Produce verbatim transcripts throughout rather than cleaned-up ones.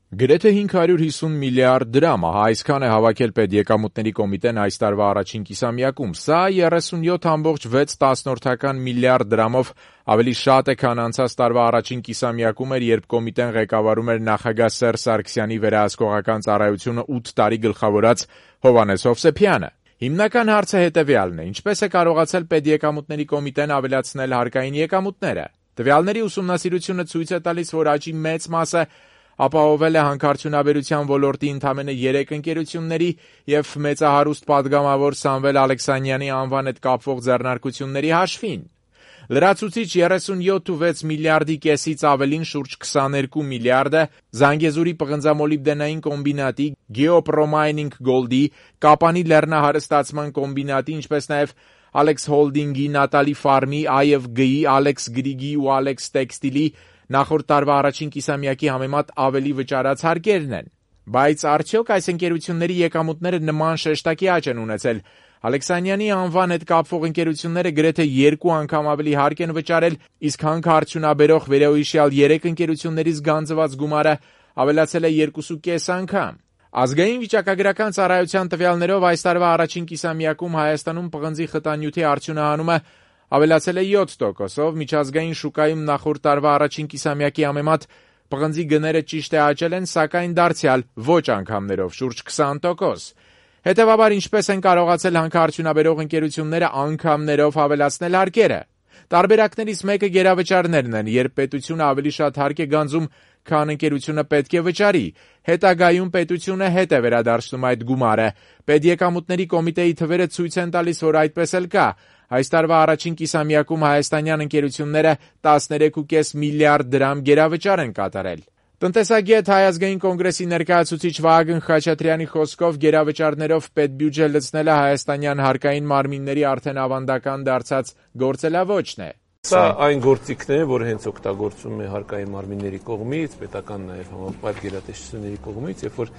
Գրեթե հինգ հարյուր հիսուն միլիարդ դրամ, ահա այսքան է հավաքել Պետեկամուտների կոմիտեն այս տարվա առաջին կիսամյակում։ Սա երեսունյոթ բացի վեց միլիարդ դրամով ավելի շատ է, քան անցած տարվա առաջին կիսամյակում էր, երբ կոմիտեն ղեկավարում էր նախագահ Սերժ Սարգսյանի վերահսկողական ծառայությունը ութ տարի գլխավորած Հովհաննես Հովսեփյանը։ Հիմնական հարցը հետևյալն է. ինչպես է կարողացել Պետեկամուտների կոմիտեն ավելացնել հարկային եկամուտները։ Տվյալների ուսումնասիրությունը ցույց է տալիս, որ աճի մեծ մասը ապահովել է հանքարդյունաբերության ոլորտի ընդամենը երեք ընկերությունների և մեծահարուստ պատգամավոր Սամվել Ալեքսանյանի անվան հետ կապվող ձեռնարկությունների հաշվին։ Լրացուցիչ երեսունյոթ բացի վեց միլիարդի կեսից ավելին, շուրջ քսաներկու միլիարդը Զանգեզուրի պղնձամոլիբդենային կոմբինատի, Geopromaining Gold-ի, Կապանի լեռնահարստացման կոմբինատի, ինչպես նաև Ալեքս Հոլդինգի, Նատալի Ֆարմի, Այ Էֆ Գ-ի, Ալեքս Գրիգի ու Ալեքս Տեքստիլի նախորդ տարվա առաջին կիսամյակի համեմատ ավելի վճարած հարկերն են։ Բայց արդյոք այս ընկերությունների եկամուտները նման շեշտակի աճ են ունեցել։ Ալեքսանյանի անվան հետ կապվող ընկերությունները գրեթե երկու անգամ ավելի հարկ են վճարել, իսկ հանքարդյունաբերող վերոհիշյալ երեք ընկերություններից գանձված գումարը ավելացել է երկուսուկես անգամ։ Ազգային վիճակագրական ծառայության տվյալներով այս տարվա առաջին կիսամյակում Հայաստանում պղնձի խտանյութի արդյունահանումը ավելացել է յոթ տոկոսով, միջազգային շուկայում նախորդ տարվա առաջին կիսամյակի համեմատ պղնձի գները ճիշտ է աճել են, սակայն դարձյալ ոչ անգամներով, շուրջ քսան տոկոս։ Հետևաբար, ինչպես են կարողացել հանքարդյունաբերող ընկերությունները անգամներով ավելացնել հարկերը։ Տարբերակներից մեկը գերավճարներն են, երբ պետությունը ավելի շատ հարկ է գանձում, քան ընկերությունը պետք է վճարի։ Հետագայում պետությունը հետ է վերադարձնում այդ գումարը։ Պետեկամուտների կոմիտեի թվերը ցույց են տալիս, որ այդպես էլ կա։ Այս տարվա առաջին կիսամյակում հայաստանյան ընկերությունները տասներեք բացի վեց միլիարդ դրամ գերավճար են կատարել։ Տնտեսագետ Հայ ազգային կոնգրեսի ներկայացուցիչ Վահագն Խաչատրյանի խոսքով գերավճարներով պետբյուջե լցնելը հայաստանյան հարկային մարմինների արդեն ավանդական դարձած գործելավոճն է։ Սա այն գործիքն է, որ հենց օգտագործում է հարկային մարմինների կողմից, պետական նաև համապարփակ գերատեսչությունների կողմից, երբ որ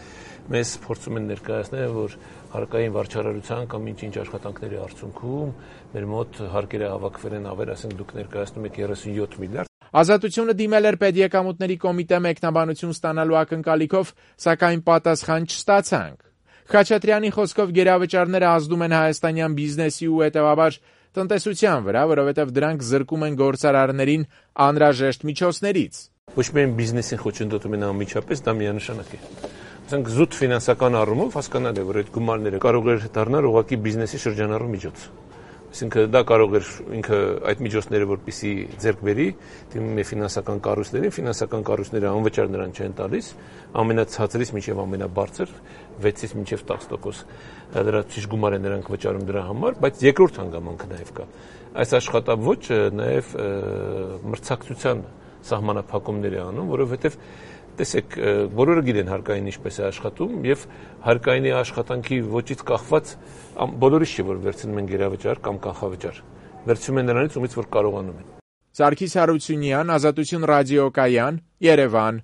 մեզ փորձում են ներկայացնել, որ հարկային վարչարարության կամ ինչ-ինչ աշխատանքների արդյունքում մեր մոտ հարկերը հավաքվել են ավել, ասենք դուք ներկայացնում եք երեսունյոթ միլիարդ։ Ազատությունը դիմել էր Պետեկամուտների կոմիտե մեկնաբանություն ստանալու ակնկալիքով, սակայն պատասխան չստացանք։ Խաչատրյանի խոսքով գերավճարները ազդում են հայաստանյան բիզնեսի ու հետևաբար տնտեսության վրա, որովհետև դրանք զրկում են գործարարներին անհրաժեշտ միջոցներից։ Ոչ միայն բիզնեսին խոչընդոտում են անմիջապես, դա միանշանակ է։ Ասենք զուտ ֆինանսական առումով հասկանալ է, որ այդ գումարները կարող էր դառնալ ուղղակի բիզնեսի շրջանառու միջոց։ Այսինքն դա կարող էր ինքը այդ միջոցները որպեսզի ձեռք բերի, դիմում է ֆինանսական կառույցներին, ֆինանսական կառույցները անվճար նրան չեն տալիս, ամենացածրից մինչև ամենաբարձր վեցից մինչև տասը տոկոս լրացուցիչ գումար են նրանք վճարում դրա համար, բայց երկրորդ հանգամանքը նաև կա։ Այս աշխատավոճը նաև մրցակցության սահմանափակումներ է անում, որովհետև տեսեք, բոլորը գիտեն հարկային ինչպես է աշխատում եւ հարկայինի աշխատանքի ոճից կախված բոլորից չի, որ վերցնում են գերավճար կամ կանխավճար։ Վերցնում են նրանից, ումից որ կարողանում են։ Սարգիս Հարությունյան, Ազատություն ռադիոկայան, Երևան։